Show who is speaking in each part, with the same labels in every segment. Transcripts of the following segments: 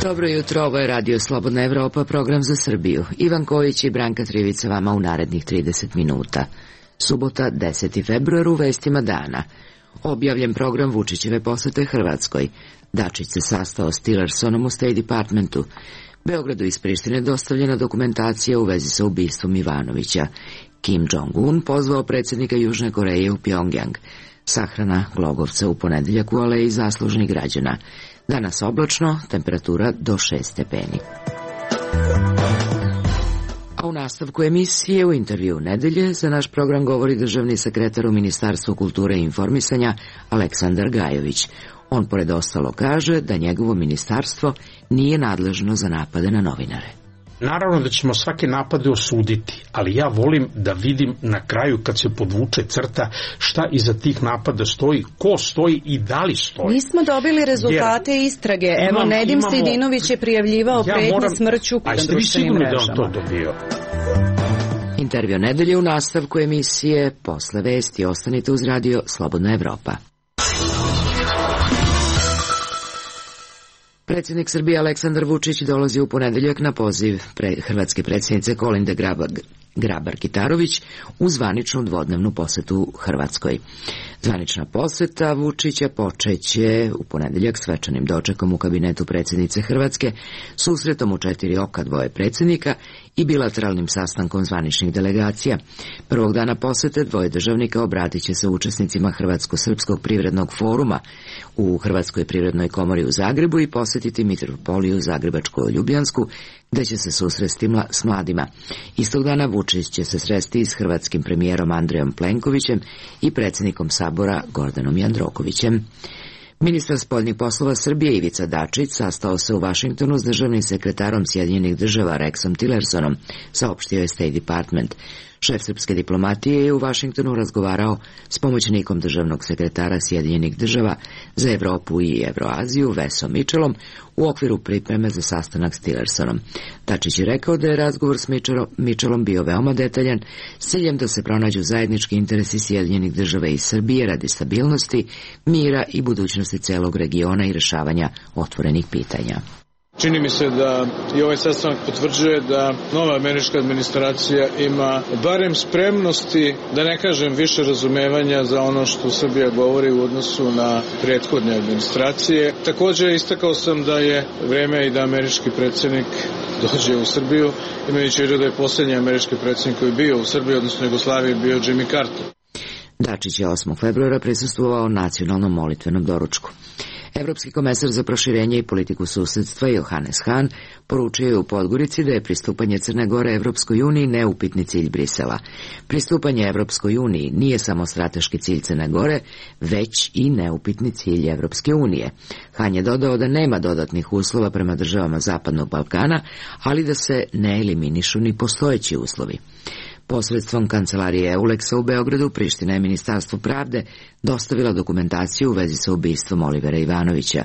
Speaker 1: Dobro jutro, ovo je Radio Slobodna Evropa, program za Srbiju. Ivan Kojić i Branka Trivica vama u narednih 30 minuta. Subota, 10. februar, u vestima dana. Objavljen program Vučićeve posete Hrvatskoj. Dačić se sastao s Tillersonom u State Departmentu. Beogradu iz Prištine dostavljena dokumentacija u vezi sa ubistvom Ivanovića. Kim Jong-un pozvao predsjednika Južne Koreje u Pjongjang. Sahrana Glogovca u ponedeljak u Aleji zaslužnih građana. Danas oblačno, temperatura do 6 stepeni. A u nastavku emisije u intervju nedelje za naš program govori državni sekretar u Ministarstvu kulture i informisanja Aleksandar Gajović. On pored ostalo kaže da njegovo ministarstvo nije nadležno za napade na novinare.
Speaker 2: Naravno da ćemo svake napade osuditi, ali ja volim da vidim na kraju kad se podvuče crta šta iza tih napada stoji, ko stoji i da li stoji.
Speaker 3: Nismo dobili rezultate istrage. Evo, Nedim Sejdinović je prijavljivao pretnje smrću na društvenim mrežama.
Speaker 2: A ste vi sigurni da on to dobio?
Speaker 1: Intervju nedelje u nastavku emisije posle vesti. Ostanite uz Radio Slobodna Evropa. Predsjednik Srbije Aleksandar Vučić dolazi u ponedeljak na poziv hrvatske predsjednice Kolinde Grabar-Kitarović u zvaničnu dvodnevnu posetu Hrvatskoj. Zvanična poseta Vučića počeće u ponedeljak svečanim dočekom u kabinetu predsjednice Hrvatske, susretom u 4 oka dvoje predsjednika i bilateralnim sastankom zvaničnih delegacija. Prvog dana posete dvoje državnika obratit će se učesnicima Hrvatsko-srpskog privrednog foruma u Hrvatskoj privrednoj komori u Zagrebu i posjetiti Mitropoliju Zagrebačko-Ljubljansku, gde će se susresti s mladima. Istog dana Vučić će se sresti s hrvatskim premijerom Andrejom Plenkovićem i predsjednikom Sabora Gordanom Jandrokovićem. Ministar spoljnih poslova Srbije Ivica Dačić sastao se u Vašingtonu s državnim sekretarom Sjedinjenih država Rexom Tillersonom, saopštio je State Department. Šef srpske diplomatije je u Vašingtonu razgovarao s pomoćnikom državnog sekretara Sjedinjenih država za Evropu i Evroaziju Vesom Mitchellom u okviru pripreme za sastanak s Tillersonom. Dačić je rekao da je razgovor s Mitchellom bio veoma detaljan s ciljem da se pronađu zajednički interesi Sjedinjenih država i Srbije radi stabilnosti, mira i budućnosti celog regiona i rešavanja otvorenih pitanja.
Speaker 4: Čini mi se da i ovaj sastanak potvrđuje da nova američka administracija ima barem spremnosti, da ne kažem više razumevanja za ono što Srbija govori u odnosu na prethodne administracije. Također istakao sam da je vreme i da američki predsjednik dođe u Srbiju, imajući u vidu da je posljednji američki predsjednik koji je bio u Srbiji, odnosno Jugoslaviji, bio Jimmy Carter.
Speaker 1: Dačić je 8. februara prisustvovao nacionalnom molitvenom doručku. Evropski komesar za proširenje i politiku susedstva Johannes Hahn poručio je u Podgorici da je pristupanje Crne Gore Evropskoj uniji neupitni cilj Brisela. Pristupanje Evropskoj uniji nije samo strateški cilj Crne Gore, već i neupitni cilj Evropske unije. Hahn je dodao da nema dodatnih uslova prema državama Zapadnog Balkana, ali da se ne eliminišu ni postojeći uslovi. Posredstvom kancelarije EULEX-a u Beogradu, Priština je Ministarstvu pravde dostavila dokumentaciju u vezi sa ubistvom Olivera Ivanovića.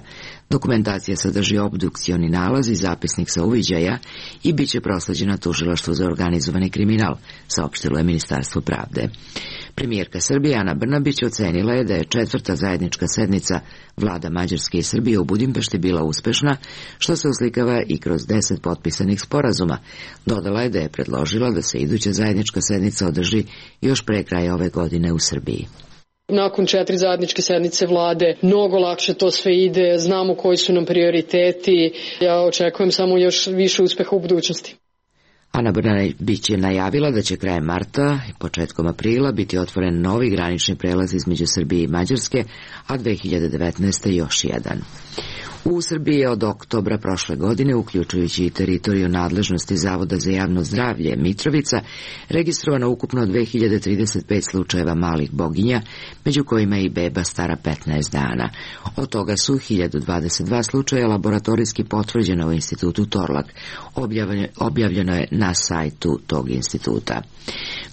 Speaker 1: Dokumentacija sadrži obdukcioni nalaz i zapisnik sa uviđaja i bit će prosleđena tužilaštvu za organizovani kriminal, saopštilo je Ministarstvo pravde. Premijerka Srbije Ana Brnabić ocenila je da je 4. zajednička sednica vlada Mađarske i Srbije u Budimpešti bila uspešna, što se uslikava i kroz 10 potpisanih sporazuma. Dodala je da je predložila da se iduća zajednička sednica održi još pre kraja ove godine u Srbiji.
Speaker 5: Nakon 4 zajedničke sednice vlade mnogo lakše to sve ide, znamo koji su nam prioriteti, ja očekujem samo još više uspeha u budućnosti.
Speaker 1: Ana Brnabić je najavila da će krajem marta i početkom aprila biti otvoren novi granični prelaz između Srbije i Mađarske, a 2019. još jedan. U Srbiji je od oktobra prošle godine, uključujući i teritoriju nadležnosti Zavoda za javno zdravlje Mitrovica, registrovano ukupno 2035 slučajeva malih boginja, među kojima je i beba stara 15 dana. Od toga su 1022 slučaja laboratorijski potvrđena u institutu Torlak. Objavljeno je na sajtu tog instituta.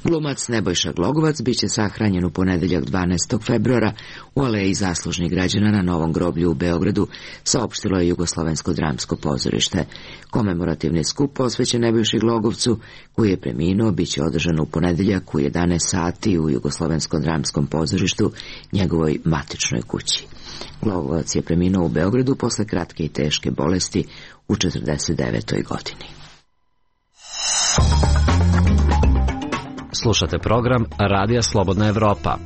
Speaker 1: Glumac Nebojša Glogovac biće sahranjen u ponedeljak 12. februara u aleji zaslužnih građana na Novom groblju u Beogradu, saopštilo je Jugoslovensko dramsko pozorište. Komemorativni skup posvećen Nebojši Glogovcu, koji je preminuo, biće održan u ponedeljak u 11 sati u Jugoslovenskom dramskom pozorištu, njegovoj matičnoj kući. Glogovac je preminuo u Beogradu posle kratke i teške bolesti u 49. godini.
Speaker 6: Slušate program Radija Slobodna Evropa.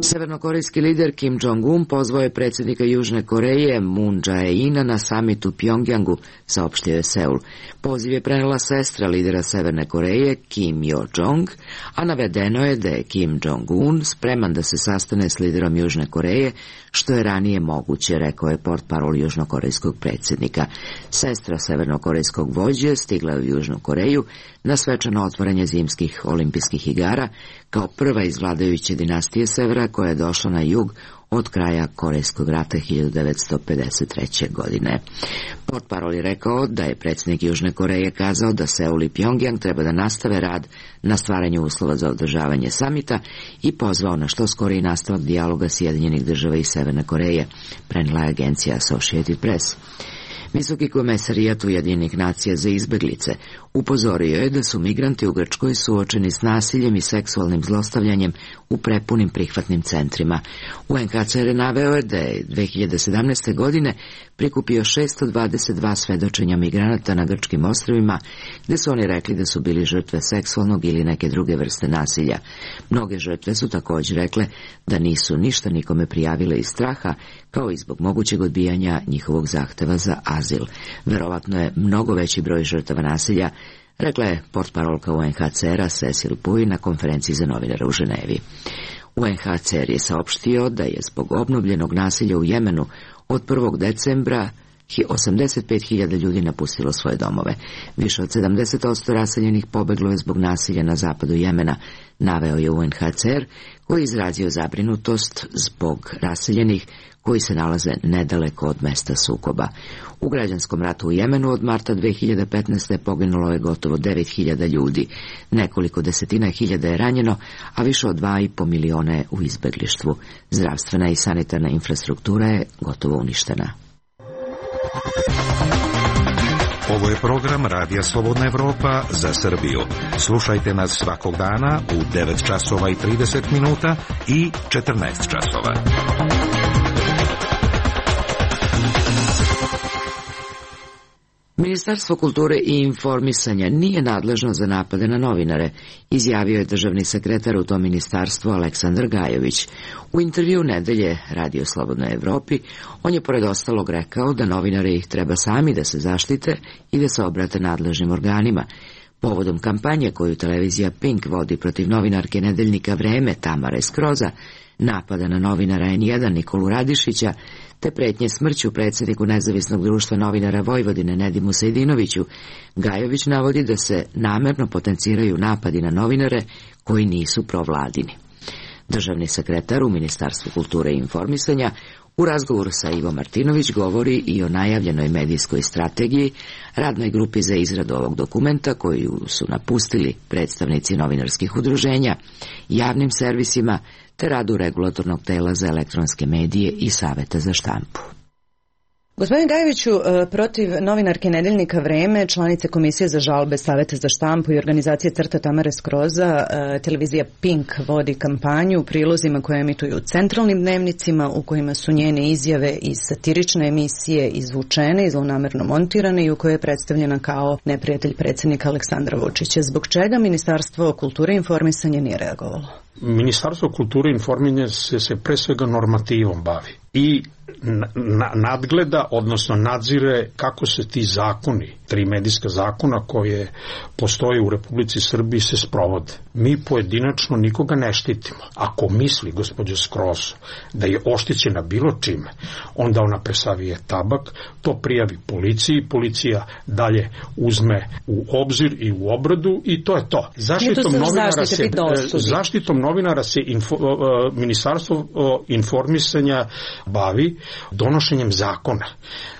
Speaker 1: Severnokorejski lider Kim Jong-un pozvao je predsjednika Južne Koreje Moon Jae-ina na samitu u Pjongjangu, saopštio je Seul. Poziv je prenela sestra lidera Severne Koreje Kim Yo-jong, a navedeno je da je Kim Jong-un spreman da se sastane s liderom Južne Koreje, što je ranije moguće, rekao je portparol južnokorejskog predsjednika. Sestra severnokorejskog vođe stigla u Južnu Koreju na svečano otvaranje zimskih olimpijskih igara kao prva iz vladajuće dinastije Severa koja je došla na jug od kraja Korejskog rata 1953. godine. Portparol je rekao da je predsjednik Južne Koreje kazao da Seul i Pjongjang treba da nastave rad na stvaranju uslova za održavanje samita i pozvao na što skoriji nastavak dijaloga Sjedinjenih država i Severne Koreje, prenijela je agencija Associated Press. Visoki komesarijat Ujedinjenih nacija za izbeglice upozorio je da su migranti u Grčkoj suočeni s nasiljem i seksualnim zlostavljanjem u prepunim prihvatnim centrima. UNHCR je naveo da je 2017. godine prikupio 622 svedočenja migranata na grčkim ostrvima, gde su oni rekli da su bili žrtve seksualnog ili neke druge vrste nasilja. Mnoge žrtve su također rekle da nisu ništa nikome prijavile iz straha, kao i zbog mogućeg odbijanja njihovog zahteva za azil. Verovatno je mnogo veći broj žrtava nasilja, rekla je portparolka UNHCR-a Cecil Puy na konferenciji za novinare u Ženevi. UNHCR je saopštio da je zbog obnovljenog nasilja u Jemenu od 1. decembra 85.000 ljudi napustilo svoje domove. Više od 70% raseljenih pobeglo je zbog nasilja na zapadu Jemena, naveo je UNHCR, koji je izrazio zabrinutost zbog raseljenih koji se nalaze nedaleko od mesta sukoba. U građanskom ratu u Jemenu od marta 2015. poginulo je gotovo 9.000 ljudi, nekoliko desetina hiljada je ranjeno, a više od 2,5 miliona je u izbeglištvu. Zdravstvena i sanitarna infrastruktura je gotovo uništena.
Speaker 7: Ovo je program Radija Slobodna Evropa za Srbiju. Slušajte nas svakog dana u 9 časova i 30 minuta i 14 časova.
Speaker 1: Ministarstvo kulture i informisanja nije nadležno za napade na novinare, izjavio je državni sekretar u tom ministarstvu Aleksandar Gajović. U intervju nedelje Radio Slobodnoj Evropi on je pored ostalog rekao da novinari ih treba sami da se zaštite i da se obrate nadležnim organima. Povodom kampanje koju televizija Pink vodi protiv novinarke nedeljnika Vreme Tamare Skroza, napada na novinara N1 Nikolu Radišića, te pretnje smrću predsjedniku Nezavisnog društva novinara Vojvodine Nedimu Sejdinoviću, Gajović navodi da se namerno potenciraju napadi na novinare koji nisu provladini. Državni sekretar u Ministarstvu kulture i informisanja u razgovoru sa Ivo Martinović govori i o najavljenoj medijskoj strategiji, radnoj grupi za izradu ovog dokumenta koju su napustili predstavnici novinarskih udruženja, javnim servisima te radu regulatornog tela za elektronske medije i Saveta za štampu.
Speaker 3: Gospodin Gajoviću, protiv novinarke nedeljnika Vreme, članice Komisije za žalbe Saveta za štampu i organizacije CRTA Tamare Skroza, televizija Pink vodi kampanju u prilozima koje emituju u centralnim dnevnicima, u kojima su njene izjave iz satirične emisije izvučene i zlonamerno montirane i u kojoj je predstavljena kao neprijatelj predsjednika Aleksandra Vučića. Zbog čega Ministarstvo kulture i informisanja nije reagovalo?
Speaker 2: Ministarstvo kulture i informisanja se pre svega normativom bavi i nadgleda, odnosno nadzire kako se ti zakoni, 3 medijska zakona koje postoje u Republici Srbiji se sprovode. Mi pojedinačno nikoga ne štitimo. Ako misli gospođa Skroz da je oštećena bilo čime, onda ona presavije tabak, to prijavi policiji, policija dalje uzme u obzir i u obradu i to je to. Zaštitom novinara se Ministarstvo informisanja bavi donošenjem zakona.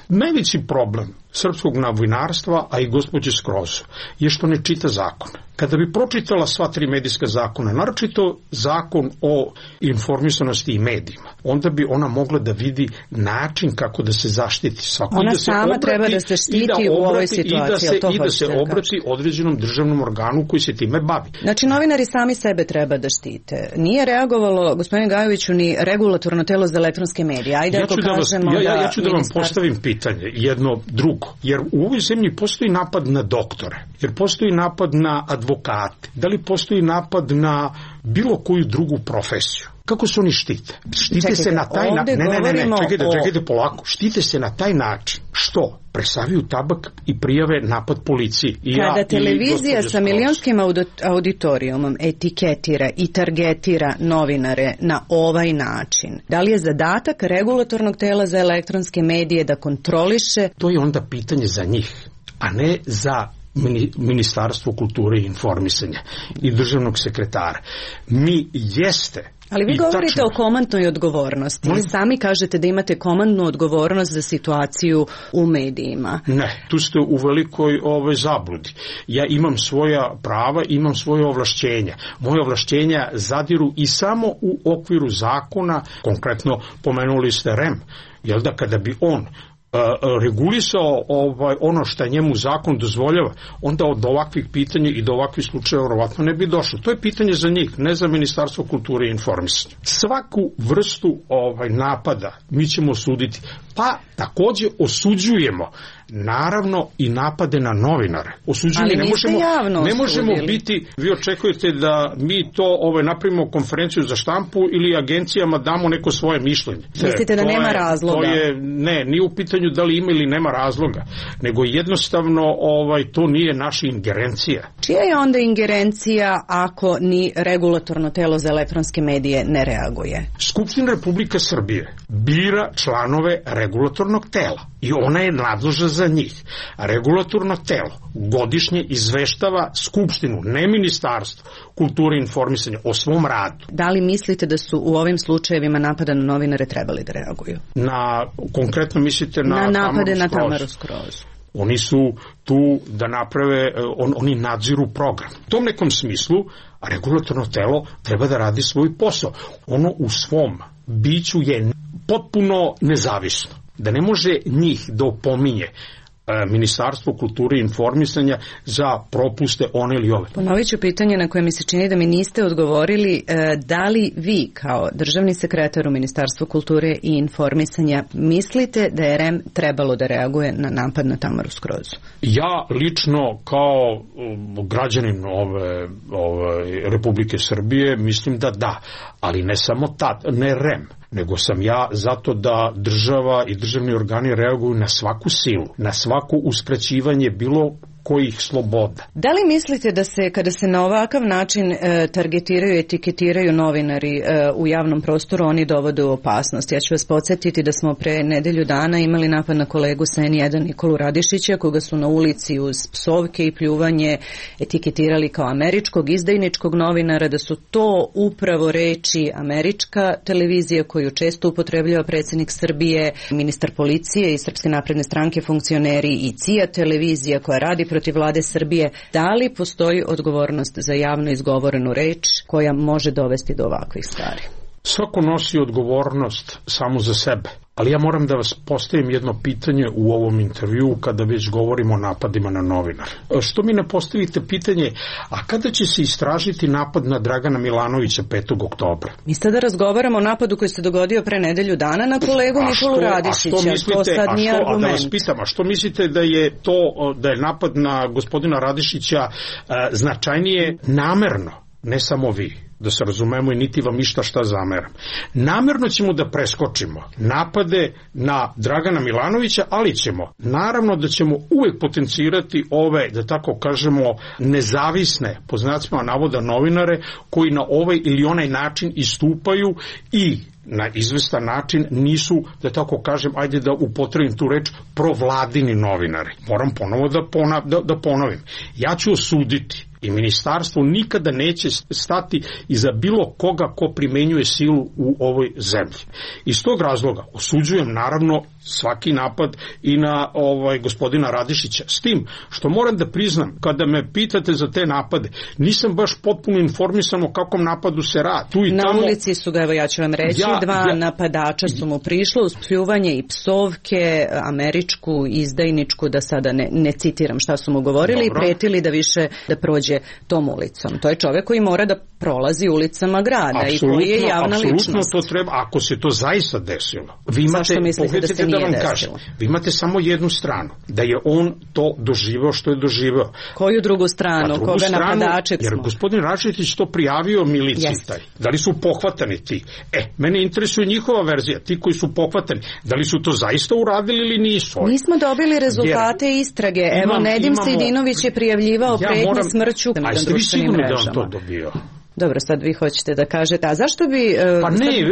Speaker 2: Najveći problem srpskog novinarstva, a i gospođe Skroz, je što ne čita zakon. Kada bi pročitala sva 3 medijska zakona, naročito zakon o informisanosti i medijima, onda bi ona mogla da vidi način kako da se zaštiti.
Speaker 3: Ona sama treba da se štiti u ovoj situaciji.
Speaker 2: I da se obrati određenom državnom organu koji se time bavi.
Speaker 3: Znači, novinari sami sebe treba da štite. Nije reagovalo, gospodine Gajoviću, ni regulatorno telo za elektronske medije. Ajde,
Speaker 2: ja ću da vam postavim pitanje, jedno drugo. Jer u ovoj zemlji postoji napad na doktore, jer postoji napad na advokate, da li postoji napad na bilo koju drugu profesiju. Kako se oni štite? Štite se na taj način. Čekajte polako. Štite se na taj način. Što? Presaviju tabak i prijave napad policiji.
Speaker 3: Kada televizija sa milionskim auditorijumom etiketira i targetira novinare na ovaj način, da li je zadatak regulatornog tela za elektronske medije da kontroliše?
Speaker 2: To je onda pitanje za njih, a ne za Ministarstvo kulture i informisanja i državnog sekretara. Mi jeste.
Speaker 3: Ali vi govorite o komandnoj odgovornosti. Vi sami kažete da imate komandnu odgovornost za situaciju u medijima.
Speaker 2: Ne, tu ste u velikoj zabludi. Ja imam svoja prava, imam svoje ovlašćenja. Moje ovlašćenja zadiru i samo u okviru zakona, konkretno pomenuli ste REM, jel da kada bi on regulisao ono što njemu zakon dozvoljava, onda od ovakvih pitanja i do ovakvih slučajeva verovatno ne bi došlo. To je pitanje za njih, ne za Ministarstvo kulture i informisanja. Svaku vrstu napada mi ćemo osuditi, pa takođe osuđujemo naravno i napade na novinare. Ne možemo biti, vi očekujete da mi to napravimo konferenciju za štampu ili agencijama damo neko svoje mišljenje.
Speaker 3: Mislite da nema razloga?
Speaker 2: Ne, nije u pitanju da li ima ili nema razloga, nego jednostavno to nije naša ingerencija.
Speaker 3: Čija je onda ingerencija ako ni regulatorno telo za elektronske medije ne reaguje?
Speaker 2: Skupština Republike Srbije bira članove regulatornog tela i ona je nadležna za njih. Regulatorno telo godišnje izveštava Skupštinu, ne Ministarstvo kulture i informisanja, o svom radu.
Speaker 3: Da li mislite da su u ovim slučajevima napada na novinare trebali da reaguju?
Speaker 2: Konkretno mislite na
Speaker 3: napade na Tamaru Skroz?
Speaker 2: Oni su tu da naprave, oni nadziru program. U tom nekom smislu regulatorno telo treba da radi svoj posao. Ono u svom biću je potpuno nezavisno. Da ne može njih da opominje Ministarstvo kulture i informisanja za propuste one ili ove.
Speaker 3: Ponovit ću pitanje na koje mi se čini da mi niste odgovorili. Da li vi kao državni sekretar u Ministarstvu kulture i informisanja mislite da je REM trebalo da reaguje na napad na Tamaru Skrozu?
Speaker 2: Ja lično kao građanin Republike Srbije mislim da, ali ne samo ne REM, nego sam ja zato da država i državni organi reaguju na svaku silu, na svako uskraćivanje bilo kojih sloboda.
Speaker 3: Da li mislite da se, kada se na ovakav način targetiraju i etiketiraju novinari u javnom prostoru, oni dovode u opasnost? Ja ću vas podsjetiti da smo pre nedelju dana imali napad na kolegu sa N1 Nikolu Radišića, koga su na ulici uz psovke i pljuvanje etiketirali kao američkog izdajničkog novinara, da su to upravo reči američka televizija koju često upotrebljava predsjednik Srbije, ministar policije i Srpske napredne stranke, funkcioneri i CIA televizija koja radi protiv vlade Srbije. Da li postoji odgovornost za javno izgovorenu reč koja može dovesti do ovakvih stvari?
Speaker 2: Svako nosi odgovornost samo za sebe. Ali ja moram da vas postavim jedno pitanje u ovom intervjuu kada već govorimo o napadima na novinare. Što mi ne postavite pitanje, a kada će se istražiti napad na Dragana Milanovića 5. oktobra?
Speaker 3: Mi sada razgovaramo o napadu koji se dogodio pre nedelju dana na kolegu Nikolu Radišića. To sad nije argument.
Speaker 2: Da vas pitam, a što mislite da je napad na gospodina Radišića značajnije namerno, ne samo vi, da se razumemo i niti vam išta šta zameram. Namerno ćemo da preskočimo napade na Dragana Milanovića, ali naravno da ćemo uvek potencirati ove, da tako kažemo, nezavisne, po znacima navoda, novinare koji na ovaj ili onaj način istupaju i na izvestan način nisu, da tako kažem, ajde da upotrebim tu reč, provladini novinari. Moram ponovo da ponovim. Ja ću osuditi i ministarstvo nikada neće stati iza bilo koga ko primenjuje silu u ovoj zemlji. Iz tog razloga osuđujem naravno svaki napad i na gospodina Radišića. S tim što moram da priznam, kada me pitate za te napade, nisam baš potpuno informisan o kakvom napadu se radi. Tu i
Speaker 3: na
Speaker 2: tamo,
Speaker 3: ulici su ga, evo ja ću vam reći, dva napadača su mu prišlo uz pljuvanje i psovke, američku, izdajničku, da sada ne citiram šta su mu govorili, i pretili da više da prođe tom ulicom. To je čovjek koji mora da prolazi ulicama grada
Speaker 2: apsolutno,
Speaker 3: i koji je javna ličnost.
Speaker 2: Apsolutno to treba, ako se to zaista desilo.
Speaker 3: Zašto mislite da se nije desilo?
Speaker 2: Vi imate samo jednu stranu, da je on to doživeo što je doživeo.
Speaker 3: Koju drugu stranu? Koga napadačeg smo?
Speaker 2: Jer gospodin Rašetić to prijavio miliciji taj. Da li su pohvatani ti? Mene interesuje njihova verzija, ti koji su pohvatani. Da li su to zaista uradili ili nisu?
Speaker 3: Nismo dobili rezultate istrage. Evo, Nedim Sejdinović je prijavljivao pretnje smrću.
Speaker 2: A jeste vi sigurni da on to dobio?
Speaker 3: Dobro, sad vi hoćete da kažete, a zašto bi,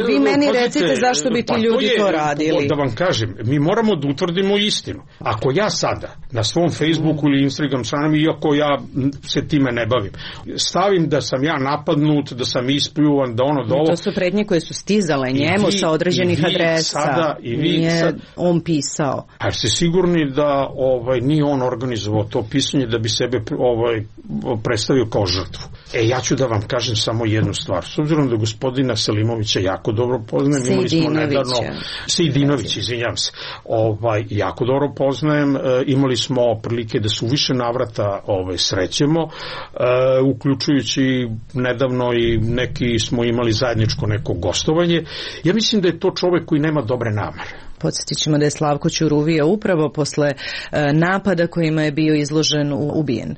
Speaker 3: vi meni recite zašto bi ti ljudi to radili?
Speaker 2: Da vam kažem, mi moramo da utvrdimo istinu. Ako ja sada na svom Facebooku ili Instagram stranom, iako ja se time ne bavim, stavim da sam ja napadnut, da sam ispljuvan, da ono da ovo...
Speaker 3: To su pretnje koje su stizale njemu sa određenih adresa. Nije on pisao.
Speaker 2: A ste sigurni da nije on organizovao to pisanje da bi sebe predstavio kao žrtvu? Ja ću da vam kažem samo jednu stvar. S obzirom da gospodina Selimovića jako dobro poznajem, imali smo nedavno Sejdinović, izvinjam se. Jako dobro poznajem, imali smo prilike da se u više navrata srećemo, uključujući nedavno i neki smo imali zajedničko neko gostovanje. Ja mislim da je to čovjek koji nema dobre namere.
Speaker 3: Podsjetit ćemo da je Slavko Ćuruvija upravo posle napada kojima je bio izložen ubijen.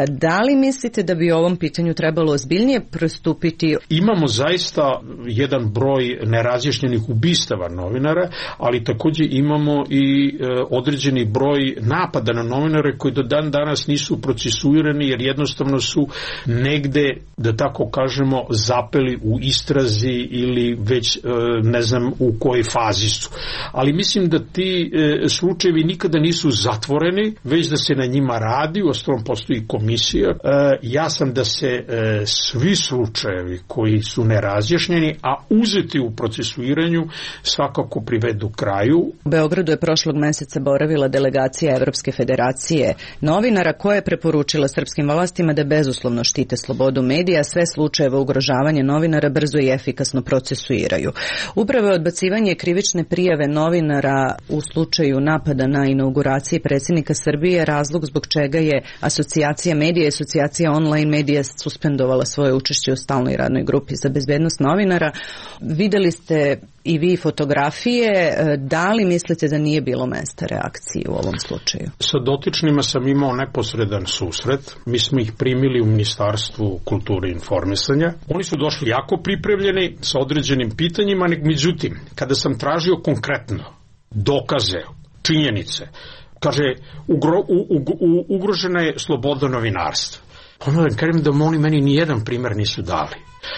Speaker 3: Da li mislite da bi ovom pitanju trebalo ozbiljnije pristupiti?
Speaker 2: Imamo zaista jedan broj nerazjašnjenih ubistava novinara, ali također imamo i određeni broj napada na novinare koji do dan danas nisu procesuirani jer jednostavno su negde, da tako kažemo, zapeli u istrazi ili već ne znam u kojoj fazi su. Ali mislim da ti slučajevi nikada nisu zatvoreni, već da se na njima radi, uostalom postoji komisija. Ja sam da se svi slučajevi koji su nerazjašnjeni, a uzeti u procesuiranju, svakako privedu kraju.
Speaker 3: U Beogradu je prošlog meseca boravila delegacija Evropske federacije novinara koja je preporučila srpskim vlastima da bezuslovno štite slobodu medija, sve slučajeve ugrožavanja novinara brzo i efikasno procesuiraju. Upravo odbacivanje krivične prijave novinara u slučaju napada na inauguraciji predsjednika Srbije razlog zbog čega je Asocijacija medija i Asocijacija online medija suspendovala svoje učešće u stalnoj radnoj grupi za bezbednost novinara. Videli ste i vi fotografije, da li mislite da nije bilo mesta reakcije u ovom slučaju?
Speaker 2: Sa dotičnima sam imao neposredan susret. Mi smo ih primili u Ministarstvu kulture i informisanja. Oni su došli jako pripremljeni sa određenim pitanjima, međutim, kada sam tražio konkretno dokaze, činjenice, kaže, ugrožena je sloboda novinarstva. Ono da kažem da oni meni nijedan primjer nisu dali.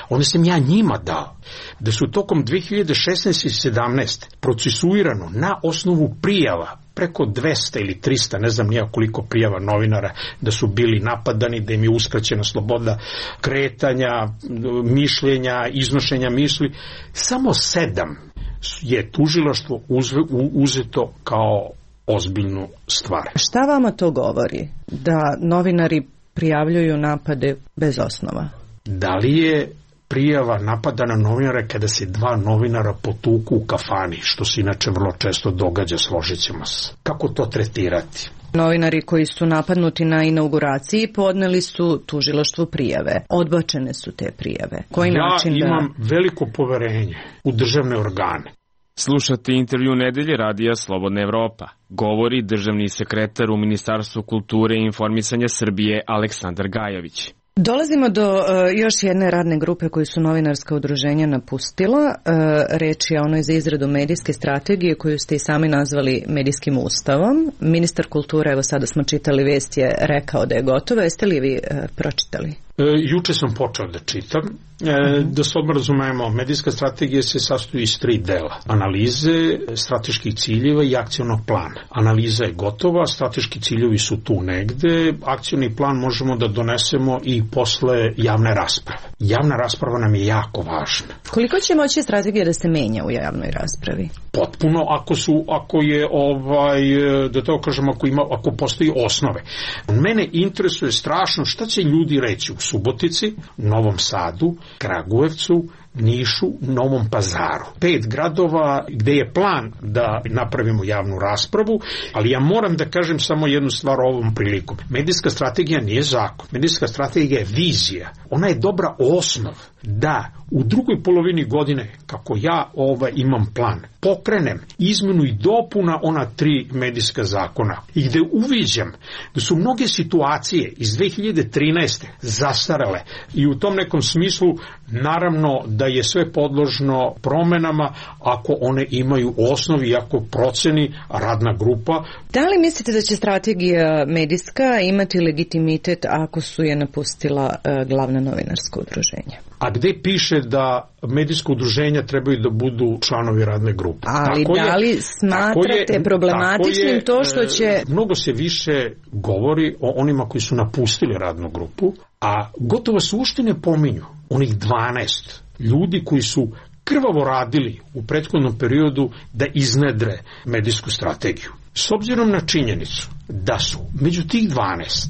Speaker 2: Onda sam ja njima dao da su tokom 2016. i 2017. procesuirano na osnovu prijava preko 200 ili 300, ne znam nija koliko prijava novinara da su bili napadani, da im je uskraćena sloboda kretanja, mišljenja, iznošenja misli. Samo 7 je tužilaštvo uzeto kao ozbiljnu stvar.
Speaker 3: Šta vama to govori? Da novinari prijavljuju napade bez osnova?
Speaker 2: Da li je prijava napada na novinare kada se 2 novinara potuku u kafani, što se inače vrlo često događa, složit ćemo se. Kako to tretirati?
Speaker 3: Novinari koji su napadnuti na inauguraciji podneli su tužilaštvu prijave. Odbačene su te prijave.
Speaker 2: Ja imam veliko poverenje u državne organe.
Speaker 8: Slušate intervju nedelje Radija Slobodna Evropa. Govori državni sekretar u Ministarstvu kulture i informisanja Srbije Aleksandar Gajović.
Speaker 3: Dolazimo do još jedne radne grupe koju su novinarska udruženja napustila. Reč je onoj za izradu medijske strategije koju ste i sami nazvali medijskim ustavom. Ministar kulture, evo sada smo čitali vest, je rekao da je gotova. Jeste li vi pročitali?
Speaker 2: Juče sam počeo da čitam. Da se odmah razumemo, medijska strategija se sastoji iz 3 dela. Analize, strateških ciljeva i akcionog plana. Analiza je gotova, strateški ciljevi su tu negde, akcioni plan možemo da donesemo i posle javne rasprave. Javna rasprava nam je jako važna.
Speaker 3: Koliko će moći strategija da se menja u javnoj raspravi?
Speaker 2: Potpuno, ako je, da to kažem, ako postoji osnove. Mene interesuje strašno šta će ljudi reći u Subotici, Novom Sadu, Kragujevcu, Nišu, Novom Pazaru. 5 gradova gde je plan da napravimo javnu raspravu, ali ja moram da kažem samo jednu stvar ovom prilikom. Medijska strategija nije zakon. Medijska strategija je vizija. Ona je dobra osnov da u drugoj polovini godine, kako ja imam plan, pokrenem izmenu i dopuna ona 3 medijska zakona i gde uviđam da su mnoge situacije iz 2013. zastarele i u tom nekom smislu naravno da je sve podložno promenama ako one imaju osnovi i ako proceni radna grupa.
Speaker 3: Da li mislite da će strategija medijska imati legitimitet ako su je napustila glavna novinarska udruženja?
Speaker 2: A gde piše da medijsko udruženja trebaju da budu članovi radne grupe?
Speaker 3: Ali da li smatrate problematičnim to što će...
Speaker 2: Mnogo se više govori o onima koji su napustili radnu grupu, a gotovo se uopšte ne pominju onih 12 ljudi koji su krvavo radili u prethodnom periodu da iznedre medijsku strategiju. S obzirom na činjenicu da su među tih 12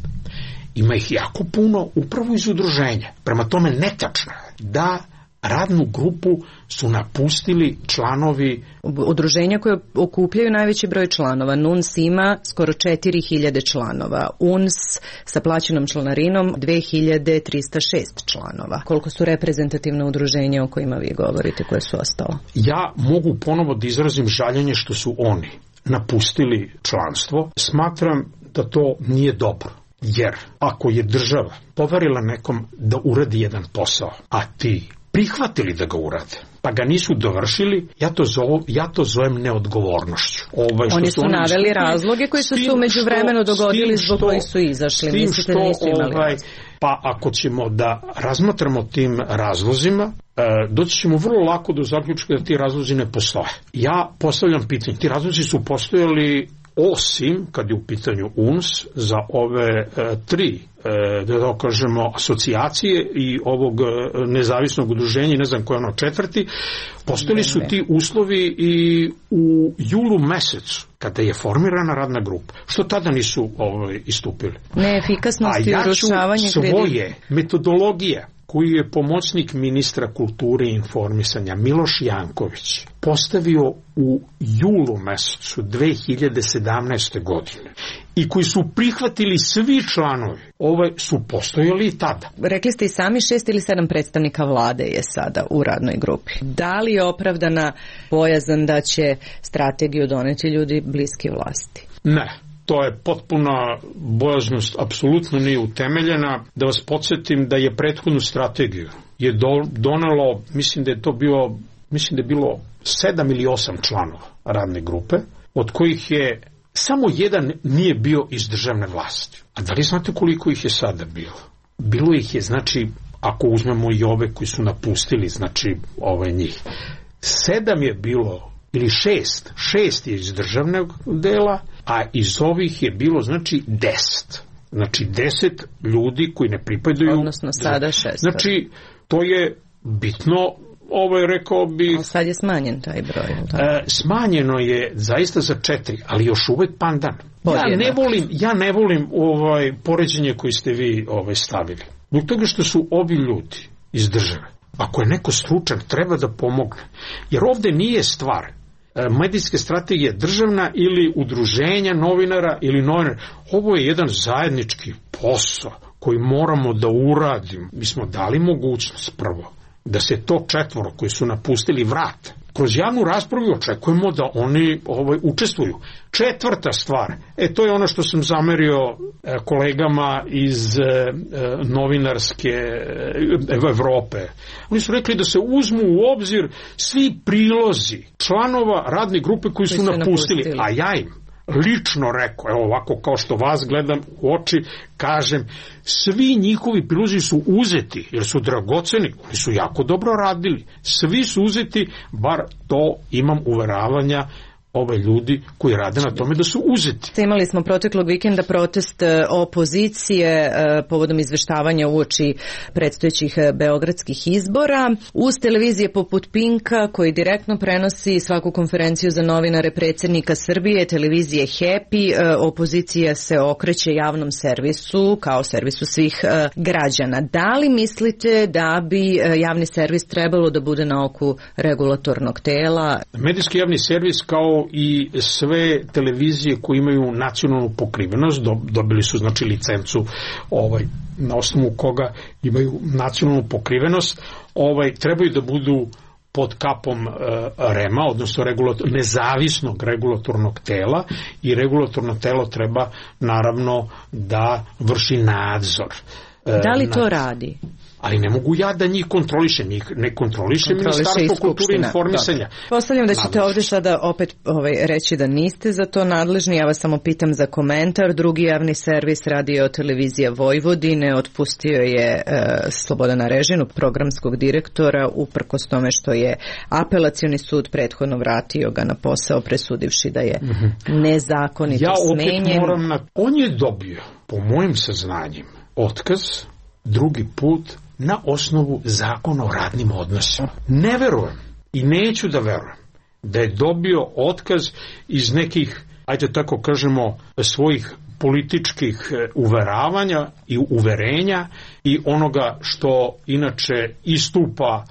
Speaker 2: ima ih jako puno upravo iz udruženja. Prema tome netačno je da radnu grupu su napustili članovi
Speaker 3: udruženja koje okupljaju najveći broj članova. NUNS ima skoro 4000 članova. UNS sa plaćenom članarinom 2306 članova. Koliko su reprezentativna udruženja o kojima vi govorite, koje su ostala?
Speaker 2: Ja mogu ponovo da izrazim žaljenje što su oni napustili članstvo. Smatram da to nije dobro. Jer ako je država poverila nekom da uradi jedan posao, a ti prihvatili da ga urade, pa ga nisu dovršili, ja to zovem neodgovornošću.
Speaker 3: Oni su naveli razloge koji su se u međuvremenu dogodili zbog kojih su izašli. Mislite da nisu imali
Speaker 2: pa ako ćemo da razmatramo tim razlozima, doći ćemo vrlo lako do zaključka da ti razlozi ne postoje. Ja postavljam pitanje, ti razlozi su postojali osim, kad je u pitanju UNS, za ove 3, da kažemo, asocijacije i ovog nezavisnog udruženja, ne znam koje ono 4, postojali su ti uslovi i u julu mesecu, kada je formirana radna grupa. Što tada nisu istupili?
Speaker 3: Neefikasnost i urušavanje
Speaker 2: kredita. Svoje metodologije koju je pomoćnik ministra kulture i informisanja Miloš Janković postavio u julu mesecu 2017. godine i koji su prihvatili svi članovi, su postojali i tada.
Speaker 3: Rekli ste i sami 6 ili 7 predstavnika vlade je sada u radnoj grupi. Da li je opravdana bojazan da će strategiju doneti ljudi bliski vlasti?
Speaker 2: Ne. To je potpuna bojaznost, apsolutno nije utemeljena. Da vas podsjetim da je prethodnu strategiju donelo, mislim da je bilo 7 ili 8 članova radne grupe, od kojih je samo jedan nije bio iz državne vlasti. A da li znate koliko ih je sada bilo? Bilo ih je, znači, ako uzmemo i ove koji su napustili, znači njih, 7 je bilo, ili 6 je iz državnog dela, a iz ovih je bilo, znači, 10. Znači, 10 ljudi koji ne pripadaju...
Speaker 3: Odnosno sada 6.
Speaker 2: Znači, to je bitno, rekao bi...
Speaker 3: Ali sad je smanjen taj broj.
Speaker 2: Smanjeno je zaista za 4, ali još uvek pandan. Ja ne volim poređenje koji ste vi stavili. Zbog toga što su ovi ljudi iz države. Ako je neko stručan, treba da pomogne. Jer ovde nije stvar medijske strategije državna ili udruženja novinara ili novinara. Ovo je jedan zajednički posao koji moramo da uradimo. Mi smo dali mogućnost prvo da se to 4 koji su napustili vrate. Kroz javnu raspravu očekujemo da oni učestvuju. 4. stvar, to je ono što sam zamerio kolegama iz novinarske Evrope. Oni su rekli da se uzmu u obzir svi prilozi članova radne grupe koji su napustili, a ja im lično rekao, evo ovako kao što vas gledam u oči, kažem, svi njihovi prilozi su uzeti, jer su dragoceni, oni su jako dobro radili, svi su uzeti, bar to imam uveravanja ove ljudi koji rade na tome da su uzeti.
Speaker 3: Imali smo proteklog vikenda protest opozicije povodom izveštavanja uoči predstojećih beogradskih izbora. Uz televizije poput Pinka, koji direktno prenosi svaku konferenciju za novinare predsjednika Srbije, televizije Happy, opozicija se okreće javnom servisu kao servisu svih građana. Da li mislite da bi javni servis trebalo da bude na oku regulatornog tela?
Speaker 2: Medijski javni servis kao i sve televizije koje imaju nacionalnu pokrivenost, dobili su znači licencu na osnovu koga imaju nacionalnu pokrivenost, trebaju da budu pod kapom REM-a, odnosno nezavisnog regulatornog tela, i regulatorno telo treba naravno da vrši nadzor.
Speaker 3: Da li to radi?
Speaker 2: Ali ne mogu ja da njih kontrolišem, njih ne kontroliše Ministarstvo kulture i informisanja.
Speaker 3: Postavljam da ćete ovdje sada opet reći da niste za to nadležni, ja vas samo pitam za komentar. Drugi javni servis, Radio televizija Vojvodine, otpustio je Slobodana Režinu, programskog direktora, uprkos tome što je apelacioni sud prethodno vratio ga na posao, presudivši da je nezakonito smenjen.
Speaker 2: Ja opet moram on je dobio, po mojim saznanjima, otkaz drugi put na osnovu zakona o radnim odnosima. Ne verujem i neću da verujem da je dobio otkaz iz nekih, ajde tako kažemo, svojih političkih uveravanja i uverenja i onoga što inače istupa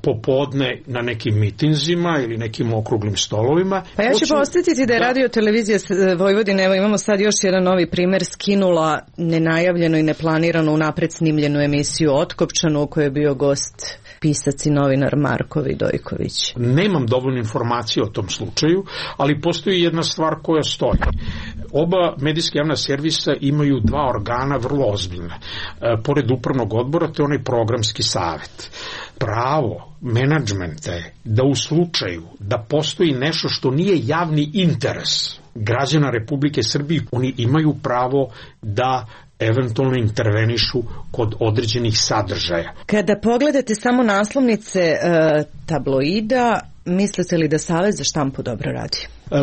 Speaker 2: popodne na nekim mitinzima ili nekim okruglim stolovima.
Speaker 3: Pa ja ću posjetiti da je Radio televizija Vojvodine, evo imamo sad još jedan novi primjer, skinula nenajavljeno i neplanirano unapred snimljenu emisiju Otkopčanu u kojoj je bio gost pisac i novinar Marko Vidojković.
Speaker 2: Nemam dovoljno informacije o tom slučaju, ali postoji jedna stvar koja stoji. Oba medijska javna servisa imaju dva organa vrlo ozbiljna. Pored upravnog odbora, to je onaj programski savet. Pravo menadžmenta je da u slučaju da postoji nešto što nije javni interes građana Republike Srbije, oni imaju pravo da eventualno intervenišu kod određenih sadržaja.
Speaker 3: Kada pogledate samo naslovnice tabloida, mislite li da Savez za štampu dobro radi?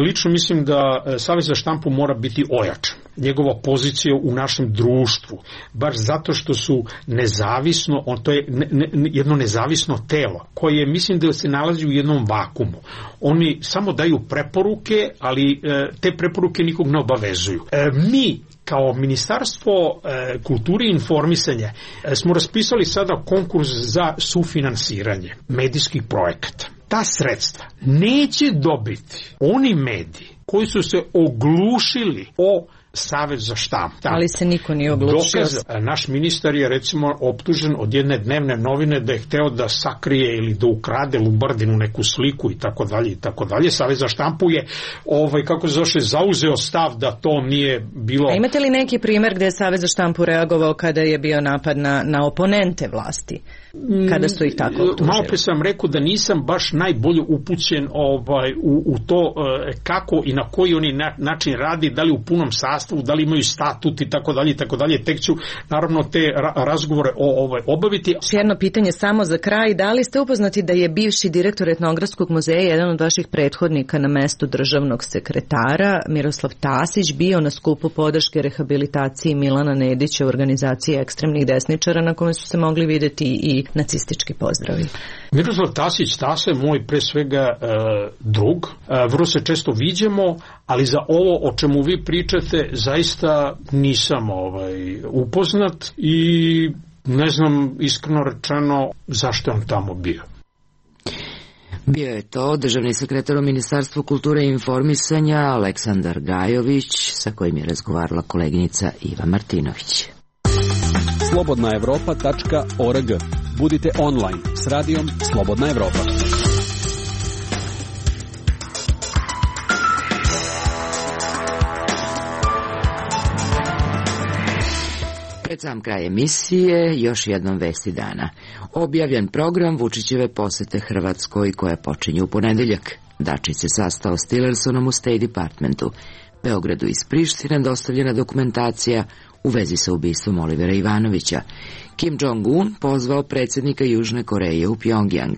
Speaker 2: Lično mislim da Savez za štampu mora biti ojačan. Njegova pozicija u našem društvu, baš zato što su nezavisno, to je jedno nezavisno telo, koje mislim da se nalazi u jednom vakumu. Oni samo daju preporuke, ali te preporuke nikog ne obavezuju. Mi kao Ministarstvo kulture i informisanja smo raspisali sada konkurs za sufinansiranje medijskih projekata. Ta sredstva neće dobiti oni mediji koji su se oglušili o Savez za štampu.
Speaker 3: Ali se niko nije oglušio.
Speaker 2: Naš ministar je recimo optužen od jedne dnevne novine da je hteo da sakrije ili da ukrade Lubardinu neku sliku i tako dalje i tako dalje. Savez za štampu je kako se zove, zauzeo stav da to nije bilo.
Speaker 3: A imate li neki primjer gdje je Savez za štampu reagovao kada je bio napad na oponente vlasti? Kada su ih tako optužili?
Speaker 2: Malo pre sam rekao da nisam baš najbolje upućen u to kako i na koji oni način radi, da li u punom sastavu, da li imaju statut i tako dalje i tako dalje. Tek ću naravno te razgovore obaviti.
Speaker 3: Jedno pitanje samo za kraj, da li ste upoznati da je bivši direktor Etnografskog muzeja, jedan od vaših prethodnika na mestu državnog sekretara, Miroslav Tasić, bio na skupu podrške rehabilitaciji Milana Nedića u organizaciji ekstremnih desničara na kome su se mogli vidjeti i nacistički pozdravi?
Speaker 2: Miroslav Tasić, Tasa je moj pre svega drug, vrlo se često viđemo, ali za ovo o čemu vi pričate zaista nisam upoznat i ne znam iskreno rečeno zašto je on tamo bio.
Speaker 1: Bio je to državni sekretar u Ministarstvu kulture i informisanja Aleksandar Gajović, sa kojim je razgovarala koleginica Iva Martinović.
Speaker 6: slobodnaevropa.org. Budite online s radijom Slobodna Evropa.
Speaker 1: Pred sam kraj emisije još jednom vesti dana. Objavljen program Vučićeve posete Hrvatskoj koja počinje u ponedeljak. Dačić se sastao s Tillersonom u State Departmentu. Beogradu iz Prištine dostavljena dokumentacija u vezi sa ubistvom Olivera Ivanovića. Kim Jong-un pozvao predsjednika Južne Koreje u Pjongjang.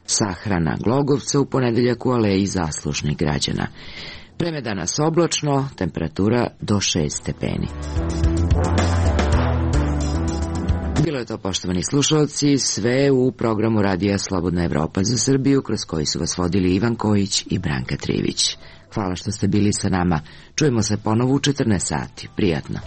Speaker 1: Sahrana Glogovca u ponedeljak u aleji zaslužnih građana. Vreme danas oblačno, temperatura do 6 stepeni. Bilo je to, poštovani slušalci, sve u programu Radija Slobodna Evropa za Srbiju, kroz koji su vas vodili Ivan Kojić i Branka Trivić. Hvala što ste bili sa nama. Čujemo se ponovo u 14 sati. Prijatno.